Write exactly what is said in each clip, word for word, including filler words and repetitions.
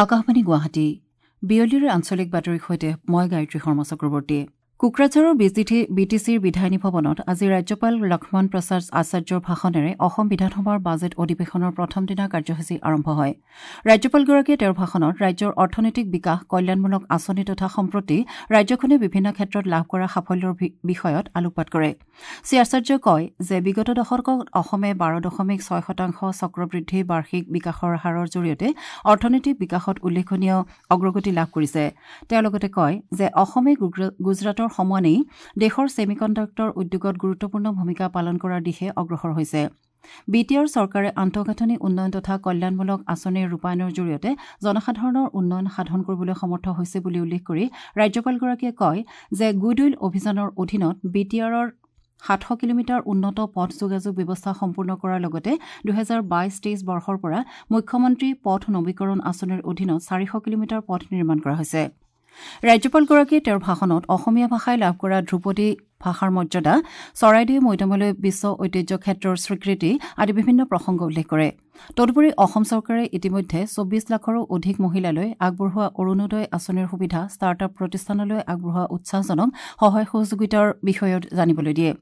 আকাশবাণী গুৱাহাটী বিয়লিৰ আঞ্চলিক বাতৰিৰ সৈতে মই গায়ত্ৰী শৰ্মা চক্ৰৱৰ্তী। কোকৰাঝাৰৰ বি টি চিৰ বিধায়িনী ভৱনত আজি ৰাজ্যপাল লক্ষ্মণ প্ৰসাদ আচাৰ্যৰ ভাষণেৰে অসম বিধানসভাৰ বাজেট অধিৱেশনৰ প্ৰথম দিনাৰ কাৰ্যসূচী আৰম্ভ হয়। ৰাজ্যপালগৰাকীয়ে তেওঁৰ ভাষণত ৰাজ্যৰ অৰ্থনৈতিক বিকাশ, কল্যাণমূলক আঁচনি তথা সম্প্ৰতি ৰাজ্যখনে বিভিন্ন ক্ষেত্ৰত লাভ কৰা সাফল্যৰ বিষয়ত আলোকপাত কৰে। শ্ৰীআচাৰ্যই কয় যে বিগত দশকত অসমে বাৰ দশমিক ছয় শতাংশ চক্ৰবৃদ্ধি বাৰ্ষিক বিকাশৰ হাৰৰ জৰিয়তে অৰ্থনৈতিক বিকাশত উল্লেখনীয় অগ্ৰগতি লাভ কৰিছে। তেওঁ লগতে কয় যে অসমে গুজৰাটৰ সমানেই দেশৰ ছেমিকণ্ডাক্টৰ উদ্যোগত গুৰুত্বপূৰ্ণ ভূমিকা পালন কৰাৰ দিশে অগ্ৰসৰ হৈছে। বি টি আৰ চৰকাৰে আন্তঃগাঁথনি উন্নয়ন তথা কল্যাণমূলক আঁচনিৰ ৰূপায়ণৰ জৰিয়তে জনসাধাৰণৰ উন্নয়ন সাধন কৰিবলৈ সমৰ্থ হৈছে বুলি উল্লেখ কৰি ৰাজ্যপালগৰাকীয়ে কয় যে গুডউইল অভিযানৰ অধীনত বি টি আৰৰ সাতশ কিলোমিটাৰ উন্নত পথ যোগাযোগ ব্যৱস্থা সম্পূৰ্ণ কৰাৰ লগতে দুহেজাৰ বাইছ তেইছ বৰ্ষৰ পৰা মুখ্যমন্ত্ৰী পথ নবীকৰণ আঁচনিৰ অধীনত চাৰিশ কিলোমিটাৰ পথ নিৰ্মাণ কৰা হৈছে। ৰাজ্যপালগৰাকীয়ে তেওঁৰ ভাষণত অসমীয়া ভাষাই লাভ কৰা ধ্ৰুপদী ভাষাৰ মৰ্যাদা, চৰাইদেউ মৈদামলৈ বিশ্ব ঐতিহ্য ক্ষেত্ৰৰ স্বীকৃতি আদি বিভিন্ন প্ৰসংগ উল্লেখ কৰে। তদুপৰি অসম চৰকাৰে ইতিমধ্যে চৌবিছ লাখৰো অধিক মহিলালৈ আগবঢ়োৱা অৰুণোদয় আঁচনিৰ সুবিধা, ষ্টাৰ্টআপ প্ৰতিষ্ঠানলৈ আগবঢ়োৱা উৎসাহজনক সহায় সহযোগিতাৰ বিষয়ত জানিবলৈ দিয়ে।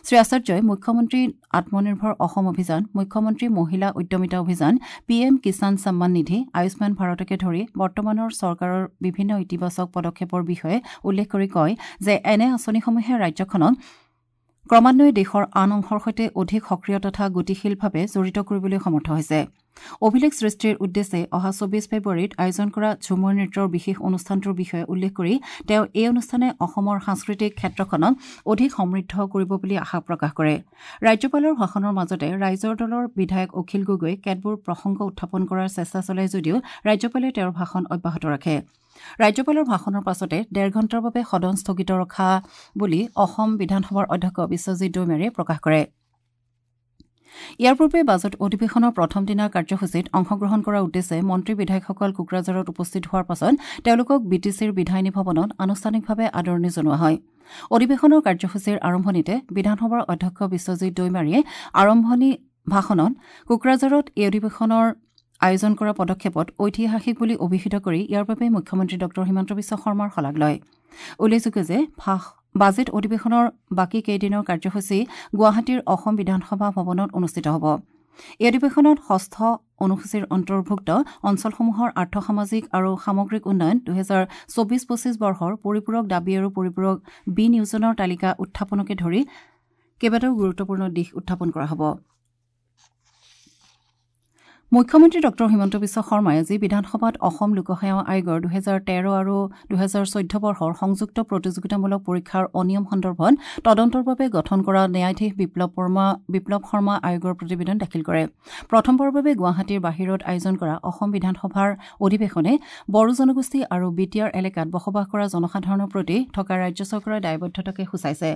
শ্ৰীআচাৰ্যই মুখ্যমন্ত্ৰী আত্মনিৰ্ভৰ অসম অভিযান, মুখ্যমন্ত্ৰী মহিলা উদ্যমিতা অভিযান, পি এম কিষাণ সন্মান নিধি, আয়ুষ্মান ভাৰতকে ধৰি বৰ্তমানৰ চৰকাৰৰ বিভিন্ন ইতিবাচক পদক্ষেপৰ বিষয়ে উল্লেখ কৰি কয় যে এনে আঁচনিসমূহে ৰাজ্যখনক ক্ৰমান্বয়ে দেশৰ আন অংশৰ সৈতে অধিক সক্ৰিয় তথা গতিশীলভাৱে জড়িত কৰিবলৈ সমৰ্থ হৈছে। অভিলেখ সৃষ্টিৰ উদ্দেশ্যে অহা চৌবিছ ফেব্ৰুৱাৰীত আয়োজন কৰা ঝুমুৰ নৃত্যৰ বিশেষ অনুষ্ঠানটোৰ বিষয়ে উল্লেখ কৰি তেওঁ এই অনুষ্ঠানে অসমৰ সাংস্কৃতিক ক্ষেত্ৰখনক অধিক সমৃদ্ধ কৰিব বুলি আশা প্ৰকাশ কৰে। ৰাজ্যপালৰ ভাষণৰ মাজতে ৰাইজৰ দলৰ বিধায়ক অখিল গগৈয়ে কেতবোৰ প্ৰসংগ উত্থাপন কৰাৰ চেষ্টা চলায় যদিও ৰাজ্যপালে তেওঁৰ ভাষণ অব্যাহত ৰাখে। ৰাজ্যপালৰ ভাষণৰ পাছতে ডেৰ ঘণ্টাৰ বাবে সদন স্থগিত ৰখা বুলি অসম বিধানসভাৰ অধ্যক্ষ বিশ্বজিৎ দৈমাৰীয়ে প্ৰকাশ কৰে। ইয়াৰ পূৰ্বে বাজেট অধিৱেশনৰ প্ৰথম দিনাৰ কাৰ্যসূচীত অংশগ্ৰহণ কৰাৰ উদ্দেশ্যে মন্ত্ৰী বিধায়কসকল কোকৰাঝাৰত উপস্থিত হোৱাৰ পাছত তেওঁলোকক বি টি চিৰ বিধায়িনী ভৱনত আনুষ্ঠানিকভাৱে আদৰণি জনোৱা হয়। অধিৱেশনৰ কাৰ্যসূচীৰ আৰম্ভণিতে বিধানসভাৰ অধ্যক্ষ বিশ্বজিৎ দৈমাৰীয়ে আৰম্ভণি ভাষণত কোকৰাঝাৰত এই অধিৱেশনৰ আয়োজন কৰা পদক্ষেপত ঐতিহাসিক বুলি অভিহিত কৰি ইয়াৰ বাবে মুখ্যমন্ত্ৰী ডঃ হিমন্ত বিশ্ব শৰ্মাৰ শলাগ লয়। উল্লেখযোগ্য যে বাজেট অধিৱেশনৰ বাকী কেইদিনৰ কাৰ্যসূচী গুৱাহাটীৰ অসম বিধানসভা ভৱনত অনুষ্ঠিত হ'ব। এই অধিৱেশনত ষষ্ঠ অনুসূচীৰ অন্তৰ্ভুক্ত অঞ্চলসমূহৰ আৰ্থসামাজিক আৰু সামগ্ৰিক উন্নয়ন, দুহেজাৰ চৌবিছ পঁচিছ বৰ্ষৰ পৰিপূৰক দাবী আৰু পৰিপূৰক বিনিয়োজনৰ তালিকা উত্থাপনকে ধৰি কেইবাটাও গুৰুত্বপূৰ্ণ দিশ উত্থাপন কৰা হ'ব। মুখ্যমন্ত্ৰী ডঃ হিমন্ত বিশ্ব শৰ্মাই আজি বিধানসভাত অসম লোকসেৱা আয়োগৰ দুহেজাৰ তেৰ আৰু দুহেজাৰ চৈধ্য বৰ্ষৰ সংযুক্ত প্ৰতিযোগিতামূলক পৰীক্ষাৰ অনিয়ম সন্দৰ্ভত তদন্তৰ বাবে গঠন কৰা ন্যায়াধীশ বিপ্লৱ শৰ্মা বিপ্লৱ শৰ্মা আয়োগৰ প্ৰতিবেদন দাখিল কৰে। প্ৰথমবাৰৰ বাবে গুৱাহাটীৰ বাহিৰত আয়োজন কৰা অসম বিধানসভাৰ অধিৱেশনে বড়ো জনগোষ্ঠী আৰু বি টি আৰ এলেকাত বসবাস কৰা জনসাধাৰণৰ প্ৰতি থকা ৰাজ্য চৰকাৰৰ দায়বদ্ধতাকে সূচাইছে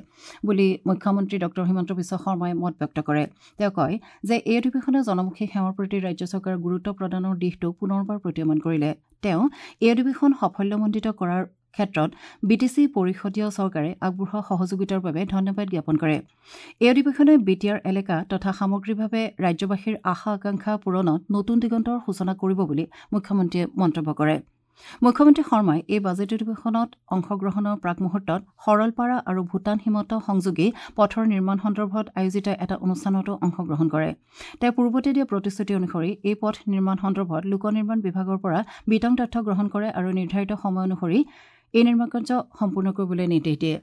বুলি মুখ্যমন্ত্ৰী ডঃ হিমন্ত বিশ্ব শৰ্মাই মত ব্যক্ত কৰে। তেওঁ কয় যে এই অধিৱেশনে জনমুখী সেৱাৰ প্ৰতি ৰাজ্য চৰকাৰৰ গুৰুত্ব প্ৰদানৰ দিশটো পুনৰবাৰ প্ৰতীয়মান কৰিলে। তেওঁ এই অধিৱেশন সাফল্যমণ্ডিত কৰাৰ ক্ষেত্ৰত বি টি চি পৰিষদীয় চৰকাৰে আগবঢ়োৱা সহযোগিতাৰ বাবে ধন্যবাদ জ্ঞাপন কৰে। এই অধিৱেশনে বি টি আৰ এলেকা তথা সামগ্ৰিকভাৱে ৰাজ্যবাসীৰ আশা আকাংক্ষা পূৰণত নতুন দিগন্তৰ সূচনা কৰিব বুলি মুখ্যমন্ত্ৰীয়ে মন্তব্য কৰে। মুখ্যমন্ত্ৰী শৰ্মাই এই বাজেট অধিৱেশনত অংশগ্ৰহণৰ প্ৰাকমুহূৰ্তত সৰলপাৰা আৰু ভূটান সীমান্ত সংযোগী পথৰ নিৰ্মাণ সন্দৰ্ভত আয়োজিত এটা অনুষ্ঠানতো অংশগ্ৰহণ কৰে। তেওঁ পূৰ্বতে দিয়া প্ৰতিশ্ৰুতি অনুসৰি এই পথ নিৰ্মাণ সন্দৰ্ভত লোক নিৰ্মাণ বিভাগৰ পৰা বিতং তথ্য গ্ৰহণ কৰে আৰু নিৰ্ধাৰিত সময় অনুসৰি এই নিৰ্মাণ কাৰ্য সম্পূৰ্ণ কৰিবলৈ নিৰ্দেশ দিয়ে।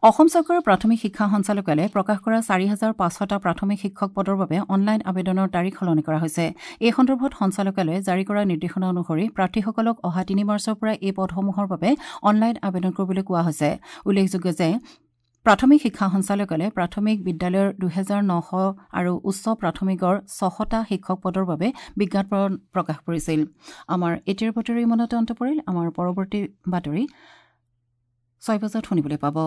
অসম চৰকাৰৰ প্ৰাথমিক শিক্ষা সঞ্চালকালয়ে প্ৰকাশ কৰা চাৰি হাজাৰ পাঁচশটা প্ৰাথমিক শিক্ষক পদৰ বাবে অনলাইন আবেদনৰ তাৰিখ সলনি কৰা হৈছে। এই সন্দৰ্ভত সঞ্চালকালয়ে জাৰি কৰা নিৰ্দেশনা অনুসৰি প্ৰাৰ্থীসকলক অহা তিনি মাৰ্চৰ পৰা এই পদসমূহৰ বাবে অনলাইন আবেদন কৰিবলৈ কোৱা হৈছে। উল্লেখযোগ্য যে প্ৰাথমিক শিক্ষা সঞ্চালকালয়ে প্ৰাথমিক বিদ্যালয়ৰ দুহেজাৰ নশ আৰু উচ্চ প্ৰাথমিকৰ ছশটা শিক্ষক পদৰ বাবে বিজ্ঞাপন প্ৰকাশ কৰিছিল। আমাৰ এতিয়াৰ বাতৰি ইমানতে অন্ত পৰিল। আমাৰ পৰৱৰ্তী বাতৰি ছয় বজাত শুনিবলৈ পাব।